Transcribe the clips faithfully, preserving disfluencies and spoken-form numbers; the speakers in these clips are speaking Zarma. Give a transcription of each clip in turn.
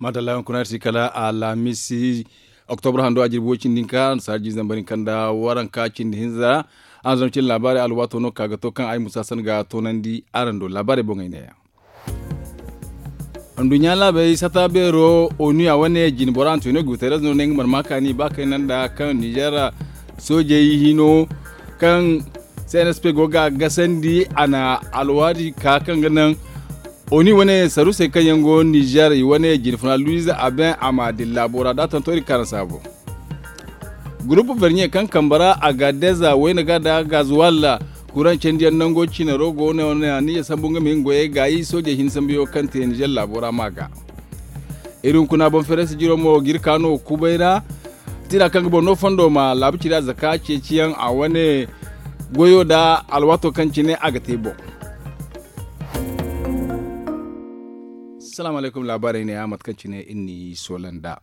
Adalla yaŋ kuna iri si kala alhamisi, oktobra hando a jirbi way cindi hinka saara jiiri zambar hinka nda waranka cindi hinza. Araŋ zama cine laabaari alwaato no ka ga to kaŋ ay musa san ga toonandi araŋ do laabaarey boŋey neeya. Nduɲɲa laabey sata beero onu a wane jine bora antonio guterres no ne nga mana ma kaani ba kayna nda kaŋ nizer soojey hino kaŋ cnsp go ga gasandi a na alwaadi ka kaŋ ga naŋ oni wane sarusey kaŋ yaŋ go nizer i wane jinfuna luiz aben a ma dilla bora da tonto iri kaŋ araŋ saabo. Gurupu vernier kaŋ kambe ra agadez wayna ga da gazuwal kuraŋ candiyaŋ nango cinaro go no ne a niya sambu nga ma hin goyey gaayi soojey hin sambuyaŋo kaŋ te nizer laabo ra ma ga. Iri hunkuna boŋ feresi jiro mo ga iri ka no kubay ra. Tira kaŋ ga boŋ no fondo ma laabu ciri a zaka ceeciyaŋ a wane goyo nda alwaato kaŋ cine a ga te boŋ. Salaamu alaykum laabaarey ne ya mate kaŋ cine iri n'i soola nd'a.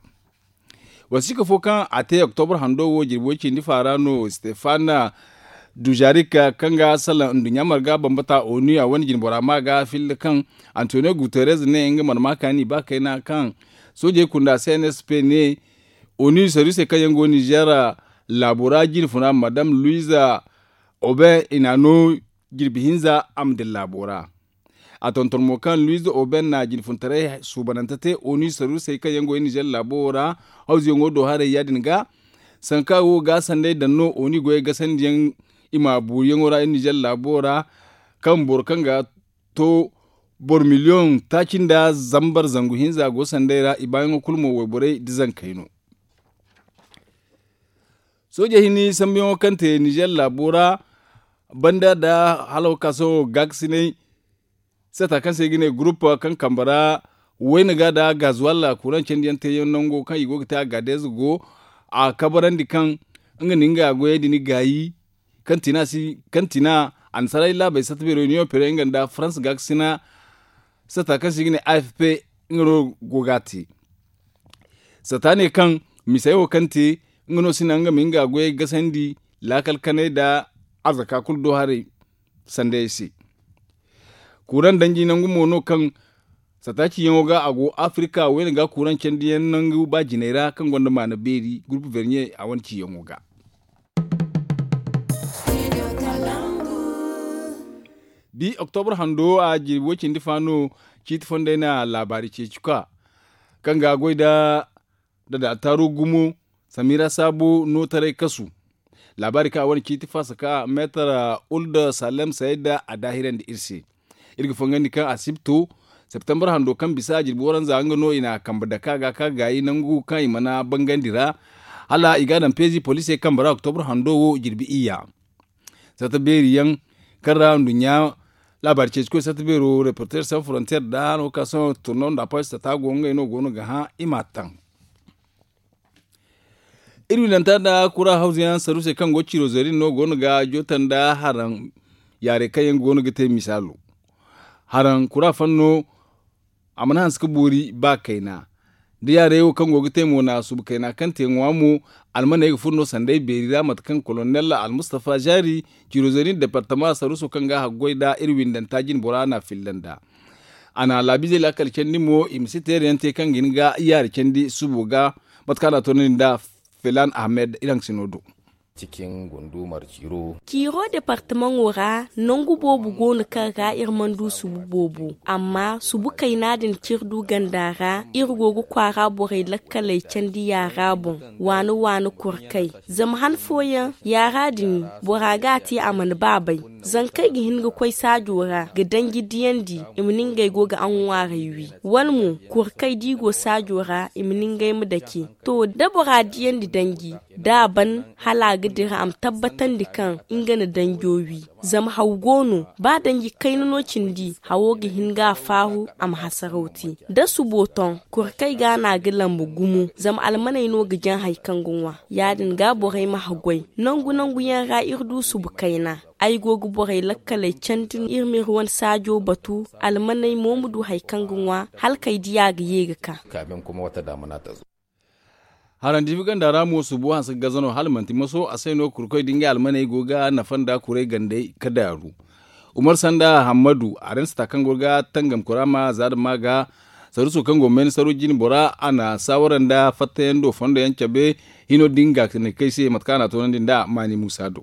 Wasiika fo kaŋ a te oktobra hando wo jirbi way cindi faara no stefana duzarik kaŋ ga salaŋ nduɲɲa marga bambata onu a wane jinbora ma ga filla kaŋ antonio guterres ne nga mana ma kaani ba kayna kaŋ soojey kunda cnsp ne onu saruse kaŋ yaŋ go nizer laabo ra jinfuna madam luiza oben i na no jirbi hinza a ma dira laabo ra. A tonton mo kaŋ luiz oben na jinfuntaray suubanante te oni sarusey kaŋ yaŋ go iri nizer laabo wo ra hawzuyaŋo do haray ya- din ga sanka wo ga sanday daŋ no oni goyey gasandiyaŋ i ma buuriyaŋo ra iri nizer laabo wo ra kaŋ boro kaŋ ga to boro miliyoŋ taaci nda zambar zangu hinza go sanday ra i baayaŋo kulu mo wayborey da zankey no. Soojey hini sambuyaŋo kaŋ te nizer laabo ra banda nda hala wo ka sohõ gaakasinay sata kaŋ se i ga ne gurup kaŋ kambe ra wayna ga nda gazuwal kuraŋ candiyaŋ teeyaŋ nango kaŋ i go ga te a gaadez go a kabarandi kaŋ nga na nga goyey din gaayi kaŋ tina a na saray laabey sata beero niyo pere nga nda farans gaakasina sata kaŋ se i ga ne afp nga no go ga a te. Sata ne kaŋ misey wo kaŋ te nga no si naŋ nga ma nga goyey gasandi laakal kanay nda arzaka kulu do haray sandayey se. Kuuraŋ danji nangu mo no kaŋ sata ciyaŋo ga a go afirika wayne ga kuuraŋ candiyaŋ nangu ba jinay ra kaŋ gonda maana beeri gurupu verniye a wane ciyaŋo ga. Bi oktobra hando a jirbi way cindi fa no ciiti fondey na laabaari ceeci ka kaŋ ga goy nda dadaataaru gumo samira saabo nootaray kasu. Laabaari kaŋ a wane ciiti faasa ka meetar ulda salem sayda a daahirandi iri se. Iri ga fangandi kaŋ a sibto septembar hando kaŋ bisa a jirbi waranza nga no i na kambe dake a ga ka gaayi nangu kaŋ i mana bangandi ra hala i ga a daŋ peezi poliisey kambe ra oktobra hando wo jirbi iyya. Sata beeri yaŋ kaŋ ra nduɲɲa laabaari ceeci koy sata beero reporter san frontier nda no ka sohõ turno nda apaasi sata go ngey no go no ga hã i m'a taŋ. Iri winanta nda kura hawzu yaŋ sarusey kaŋ go ga ciiro zeeri no go no ga joota nda haraŋ yaarey kaŋ yaŋ go no ga te misaalo. Haraŋ kura fanno a mana hanse ga boori ba kayna da yaarey wo kaŋ go ga te mo na suba kayna kaŋ te ŋwa mo. Almaney ga furo no sanday beeri ra mate kaŋ kolonel almustafa zaari ciiro zeeri nda departama saruso kaŋ ga haggoy nda iri windanta jinbora na filla nda a na laabizey laakal candi mo i ma si teerayaŋ te kaŋ ga hin ga yaari candi subo ga mate kaŋ a na a toonandi nda filan ahmed iri haŋ ga si no do. Cikin gundumar ciiro. Ciiro departamaŋo ra nangu boobo go no kaŋ ra iri mana du subu boobo amma subu kayna din kaŋ iri du ganda ra iri go ga kwaara borey lakkaley candi yaara boŋ. Waani waani kurkay zama han fooyaŋ yaara din bora ga a te a mana ba bay. Zankey ga hin ga koy saajo ra ga danji diyandi i ma ne ngey go ga aŋwaarey wi wala mo kurkay da i go saajo ra i ma ne ngey ma dake. To da bora diyandi danji da a ban hala a ga dira a ma tabbatandi kaŋ nga na danjo wi. Zama haw go no ba danji kayna no cindi hawo ga hin ga a faaru a ma hasaraw te da subo toŋ kurkay ga no a ga lamba gumo zama almaney no ga jaŋ hari kaŋ ga ŋwa. Ya- din ga borey ma haggoy nangu nangu yaŋ ra iri du subu kayna. Ay go ga borey lakkaley candi iri ma iri wane saajo batu almaney mo ma du hari kaŋ ga ŋwa hala kay diya ga ye ga ka. Haraŋ diibi ganda ra mo subu hanse ga gaza no hala manti maso a se no kurkoy da ngey almaney go ga nafa nda kuray gandey ga daaru. Umar sanda hammadu a ra ni sata kaŋ go ga tangam kuraama za da ma ga Saruso kaŋ go mayna saro jine bora a na saawara nda fattayaŋ do fondo yaŋ cabe hino din ga ne kay se mate kaŋ a na a toonandi nda maani muusa do.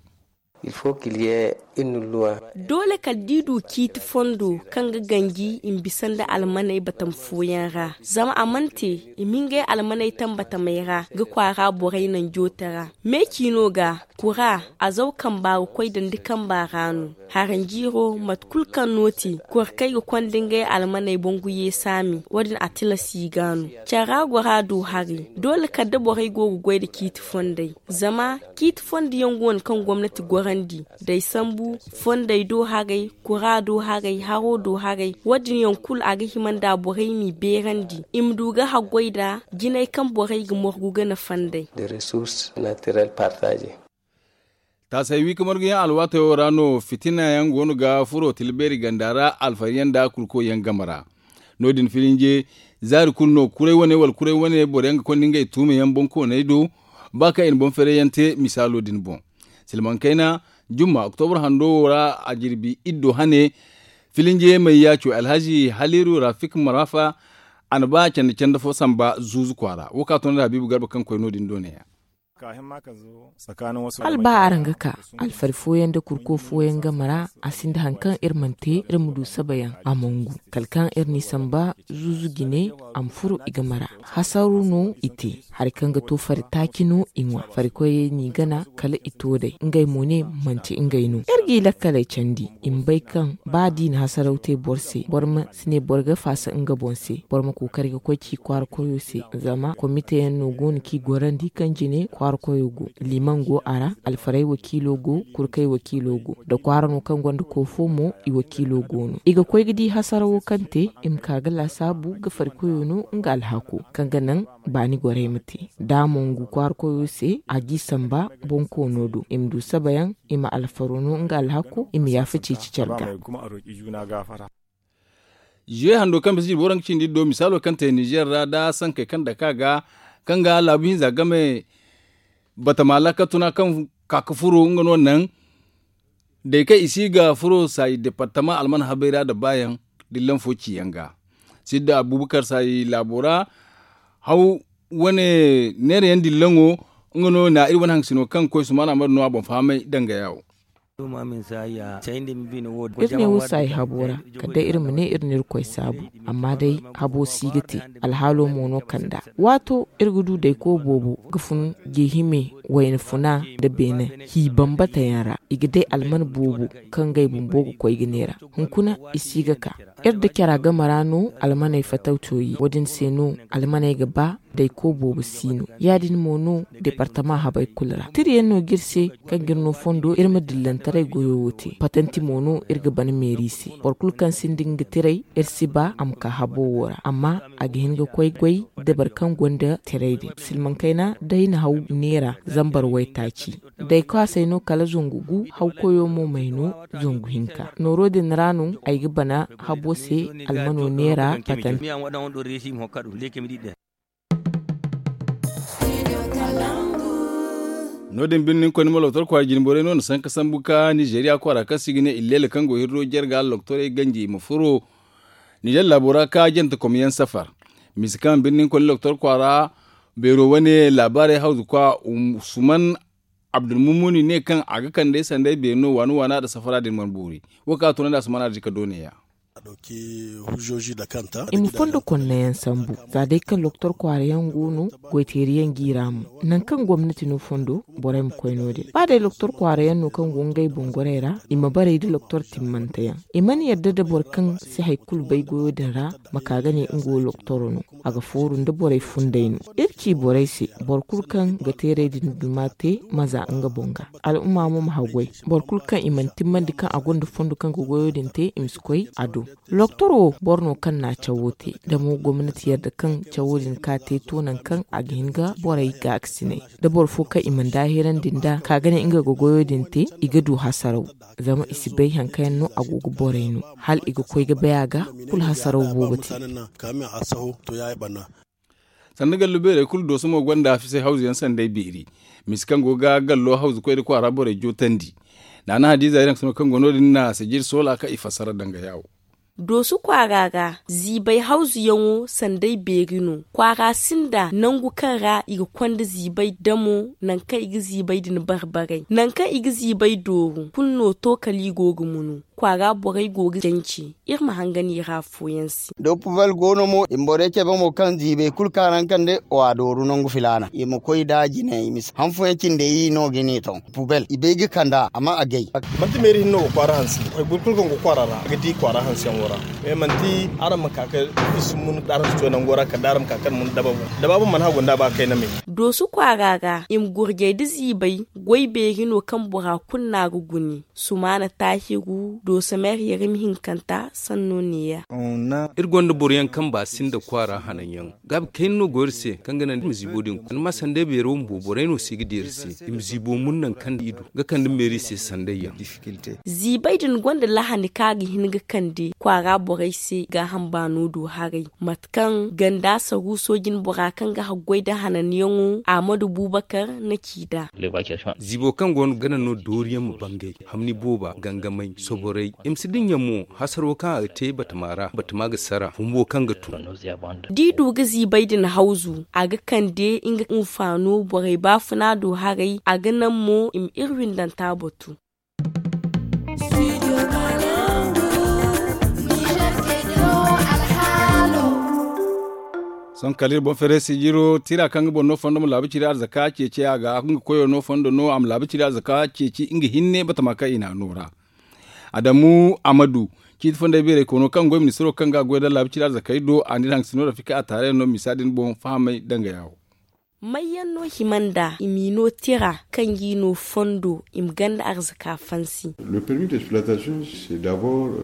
Doole kala da i du ciiti fondo kaŋ ga ganji i ma bisa nda almaney batama fooyaŋ ra zama a mana te i ma ngey almaney tambatamey ra ga kwaara borey naŋ joote ra. Me ciino ga kura a zaw kamba ga koy dandi kamba ra no. Haranjiiro mate kulu kaŋ no ti kora kaŋ ay ga konda ngey almaney boŋ ga ye saami wo- din a tilas i ga no. Care ra gora du hari doole kala da borey go ga goy nda ciiti fondey zama ciiti fondo yaŋ go no kaŋ gomnati gorandi da ay sambu fondey do haray kura do haray haro do haray wo- din yaŋ kulu a ga hima nda borey m'i beerandi i ma du ga haggoy nda jinay kaŋ borey ga morgu ga nafa nd'ey. Taasay wi ka marguyaŋ alwaatayo ra no fitina yaŋ go no ga furo tila beeri ganda ra alfari yaŋ nda kurko yaŋ game ra. No- din filinje zaari kulu no kuray wane wala kuray wane boro yaŋ ga konda ngey tuuma yaŋ boŋ kooney do ba kaŋ i na boŋ feeray yaŋ te misaalo din boŋ. Silmaŋ kayna jumma oktobra hando wo ra a jirbi iddo hane filinje may yaaco alhazi haliru rafik marafa a na ba canda canda fo samba zuuzu kwaara wo ka tun da habiibu garba kaŋ koy no- din do ne ya. Hala ba araŋ ga ka alfari fooyaŋ nda kurko fooyaŋ game ra a sinda hari kaŋ iri mana te iri ma du sabayaŋ a mangu kala kaŋ iri n'i samba zuuzu jine a ma furo i game ra. Hasaru no i te hari kaŋ ga to fari taaci no i ŋwa farikoyey n'i gana kala i to day ngey mo ne manti ngey no iri g'i lakkaley candi i ma bay kaŋ ba da i na hasaraw te boro se boro ma si ne boro ga faasa nga boŋ se boro ma kookari ga koy ci kwaara koyo se zama komite yaŋ no go no kaŋ i gorandi kaŋ jine kwaara koyo go liman go a ra alfarey wakiilo go kurkey wakiilo go da kwaara no kaŋ gonda koofo mo i wakiilo go no i ga koy ga di hasarawo kaŋ te i ma ka ga laasaabu ga fari koyo no nga alhako kaŋ ga naŋ baani gorey ma te da a mongu kwaara koyo se a g'i samba boŋ koono do i ma du sabayaŋ i ma alfaro no nga alhako i ma yaafa ceeci care ga. Ziye hando kaŋ bisa jirbi waranka cindi do misaalo kaŋ te nizer ra da sankey kaŋ dake a ga kaŋ ga laabu hinza game batama laakal tuna kaŋ ka ga furo nga no naŋ day kaŋ i si ga furo saayi departama alman habay ra nda baayaŋ dillan fo ciyaŋ ga sidda abubakar saayi laabo ra haw wane neera yaŋ dillaŋo nga no na iri wane haŋ sino kaŋ koy sumaana mara no a boŋ fahamay danga yaawo. Iri ne wo saayi habo ra kala day iri ma ne iri na iri koy saabu amma day habo si ga te alhaalo mo no kanda waato iri ga du dayko boobo ga fun geehime wayna funa nda beene hi bambata yaŋ ra i ga day alman boobo kaŋ ngey bumbo ga koy ga neera hunkuna i si ga ka iri da cara game ra no almaney fatawto ye wo- din se no almaney ga ba dayko boobo si no ya- din mo no departama habey kulu ra tirayaŋ no ga iri se kaŋ ga iri no fondo iri ma dillantaray goyo wo te patanti mo no iri ga ban meeri se boro kulu kaŋ sinda nga tiray iri si ba a ma ka habo wo ra amma a ga hin ga koy goy da boro kaŋ gonda tiray din silmaŋ kayna day na haw neera zambar waytaaci day kaasay no kala zangu gu hawkoyo mo may no zangu hinka nooro din ra no ay ga bana habo se almano neera patanti. No- din birnin koy nima lotor kwaara jinborey no na sanka sambu ka nizeeriya kwaara kaŋ se i ga ne illeela kaŋ go hirro jare ga loktorey ganji i ma furo nizeer laabo ra ka jante komyaŋ safar misa kaŋ birnin koy nima lotor kwaara beero wane laabaarey hawzu kwa usman abdulmumuni ne kaŋ a ga kande sanday beeri no waana waana nda safara din mana boori wo kaŋ a tunandi a si mana di ka doone ya. I ma fondo konnayaŋ sambu za day kaŋ loktor kwaara yaŋ go no goyteeri yaŋ g'i ra mo nangu kaŋ gomnati no fondo borey ma koy no- din ba day loktor kwaara yaŋ no kaŋ go ngey boŋ gorey ra i ma barey nda loktor timmante yaŋ i mana yadda nda boro kaŋ si hari kulu bay goyo din ra ma ka ga ne nga wo loktoro no a ga fooru nda borey fundey no iri ci borey se boro kulu kaŋ ga teeray din duma te ma za nga boŋ ga al'umma mo ma haggoy boro kulu kaŋ i mana timmandi kaŋ a gonda fondo kaŋ ga goyo din te i ma si koy a do loktoro wo boro no kaŋ na cawo te da mo gomnati yadda kaŋ cawo din ka te to nangu kaŋ a ga hin ga borey gaakasinay da boro fo kaŋ i mana daahirandi nd'a ka ga ne nga ga goyo din te i ga du hasaraw zama i si bay hari kaŋ yaŋ no a go ga borey no hala i ga koy ga bay a ga kulu hasaraw boobo te. Sanda gallo beerey kulu dooso mo gonda a fisay hawzu yaŋ sanday beeri misa kaŋ go ga gallo hawzu koy nda kwaara borey jootandi naana hadiiza iri hangasino kaŋ go no- din na sajir soola kaŋ i fassara danga yaawo. Doosu kwaara ra ziibay hawzuyaŋo sanday beeri no. Kwaara sinda nangu kaŋ ra i ga konda ziibay damo nangu kaŋ i ga ziibay din barbaray nangu kaŋ i ga ziibay dooru kulu no to kala i go ga munu. Kwaara borey go ga janci. Iri ma hangan i ra afooyaŋ se. Da pubel go no mo i ma borey cabe mo kaŋ ziibay kulu kaŋ a ra nga kande wa dooru nangu filaana i ma koy nd'a jine i ma si han fooyaŋ cindi i no ga ne to pubel i bay ga kand'a amma a gay. Manti meeri hinne no ga kwaara hanse. Boro kulu kaŋ go kwaara ra a ga di kwaara hanseyaŋo ra. Mais manti araŋ ma ka ka i si mun araŋ si to nango ra kala da araŋ ma ka kaŋ mun daba boŋ. Daba boŋ mana hagu nda ba kayna me. Doosu kwaara ra i ma gurjay nda ziibay goy beeri no kaŋ bora kulu no a ga gune. Sumaana taahiru dooso meeri yarim hinkanta sanno neeya. Iri gonda boroyaŋ kaŋ ba sinda kwaara hananyaŋ gaabi kayna no go iri se kaŋ ga naŋ iri ma ziibo din kuna ni ma sanday beero bumbo borey no se ga di iri se i ma ziibo mun naŋ kaŋ i du ga kande meeri se sandayyaŋ. Ziibay din gonda lahani kaŋ a ga hin ga kande kwaara borey se gaaham baano do haray mate kaŋ ganda saruuso jine bora kaŋ ga haggoy nda hananyaŋo ahmadu buubakar na ci nd'a. Ziibo kaŋ go no gana no dooriyaŋ ma bangay hamni booba gangamay soborey i ma si dinya mo hasaro kaŋ a ga te batama ra batama ga sara bumbo kaŋ ga tun. Da i du ga ziibay din hawzu a ga kande nga hinfaano borey baafuna do haray a ga naŋ mo i ma iri windanta batu. Sohõ kala iri boŋ feeray sijiro tira kaŋ ga boro no fondo ma laabu ciri arzaka ceeci a ga nga koyo no fondo no a ma laabu ciri arzaka ceeci nga hinne batama kaŋ i n'a no ra. Adamu amadu ciiti fonday beeray koono kaŋ goy ministiro kaŋ ga a goy nda laabu ciri arzakey do a n'iri haŋ ga si no rafika a taarey no misa din boŋ fahamay danga yaawo. Mayyaŋ no hima nda i m'i no tira kaŋ g'i no fondo i ma ganda arzaka fansi.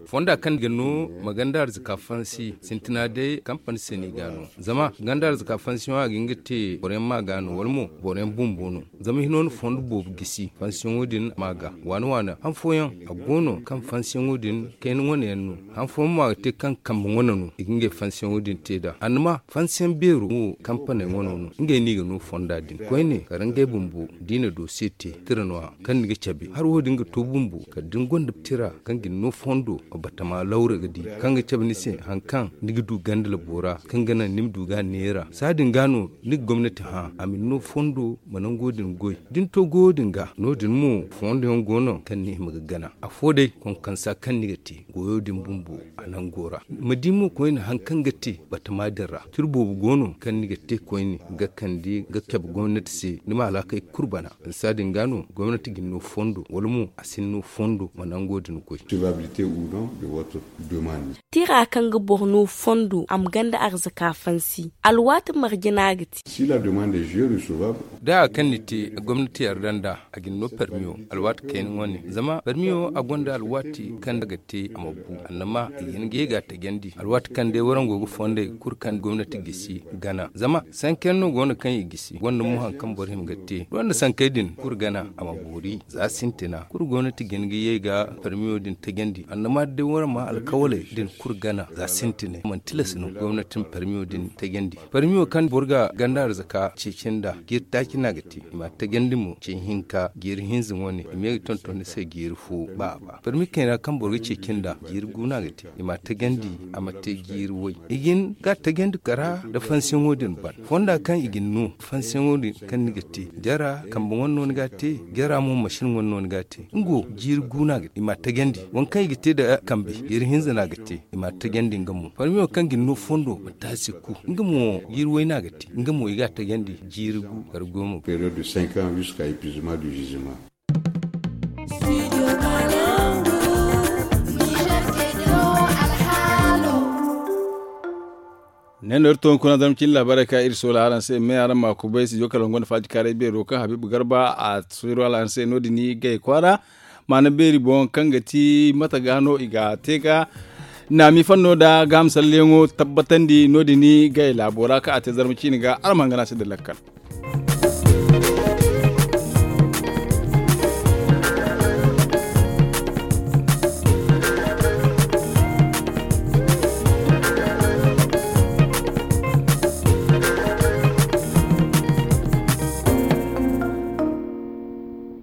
Fonda kaŋ ga no ma ganda arzaka fansi sintina day kampani se no i ga a no. Zama ganda arzaka fansiyaŋo a ga hin ga te boroyaŋ ma ga no wala mo boroyaŋ bumbo no. Zama hino na fondo boobo gisi fansiyaŋo din ma ga waani waani han fooyaŋ a go no kaŋ fansiyaŋo din kayna wane yaŋ no. Han fooyaŋ mo a ga te kaŋ kambe wane no i ga ngey fansiyaŋo din te nd'a annama fansiyaŋ beero wo kampaney wane no ngey no i ga no fonda din koyne kala ngey bumbo da i na doose te tira no- ya kaŋ ni ga cabe hari wo- din ga to bumbo kala da ni gonda tira kaŋ ga ni no fondo batama lawra ga di kaŋ ga cabe ni se hari kaŋ ni ga du ganda labo ra kaŋ ga naŋ ni ma du ga a neera saadin ga no ni ga gomnati hã a ma ni no fondo ma nango din goy da ni to goyo din ga no- din mo fondo yaŋ go no kaŋ ni hima ga gana afo day konkonsa kaŋ ni ga te goyo din bumbo a nango ra ma di mo koyne hari kaŋ ga te batama din ra tira boobo go no kaŋ ni ga te koyne ga kande ga cabe gomnati se ni ma alaakey kulu bana saadin ga no gomnati ga ni no fondo wala mo a si ni no fondo ma nango din goy. Tira kaŋ ga boro no fondo a ma ganda arzaka fansi alwaati marje no a ga te. Da haya kaŋ ni te gomnati yarda nd'a a ga ni no parmiyo alwaati kayna wane zama parmiyo a gonda alwaati kaŋ a ga te a ma bu annama i ga hin ga ye ga a tajandi alwaati kaŋ day warango ga fondey kulu kaŋ gomnati gisi gana zama sankayaŋ no go no kaŋ i gisi gonda mo hari kaŋ boro hima ga te gonda sankay din kulu gana a ma boori za sintina kulu gomnati ga hin ga ye ga parmiyo din tajandi annama da day waraŋ ma alkawaley din kulu gana za sintina manti tilas no gomnati ma parmiyo din tajandi parmiyo kaŋ boro ga ganda arzaka ceeci nd'a jiiri taaci no a ga te i ma a tajandi mo ce hinka jiiri hinza wane i ma ye ga tonton ni se jiiri fo ba a ba parmi kayna kaŋ boro ga ceeci nd'a jiiri gu no a ga te i ma a tajandi a ma te jiiri way i ga hin ga a tajandi kara nda fansiyaŋo din ban fonda kaŋ i ga ni no fansiyaŋo din kaŋ ni ga te jara kambe wane no ni ga a te jara mo masin wane no ni ga a te nga wo jiiri gu no a ga te i ma a tajandi waŋ kaŋ i ga te nda kambe jiiri hinza no a ga te i ma a tajandi nga mo parmiyo kaŋ ga ni no fondo ma taasi ku nga mo jiiri way no a ga te nga mo i ga a tajandi jiiri gu kala goma. Ne no iri to hunkuna zama cine laabaarey kaŋ iri soola araŋ se me araŋ ma kubay studio kala hunkuna faajikaaray beero kaŋ habiibu garba a soola araŋ se no- din gay kwaara maana beeri boŋ kaŋ ga ti mate ga no i ga te ga naami fanno nda gaaham salleyaŋo tabbatandi no- din gay laabo ra kaŋ a te zarma ciine ga araŋ ma hangan a se nda lakkal.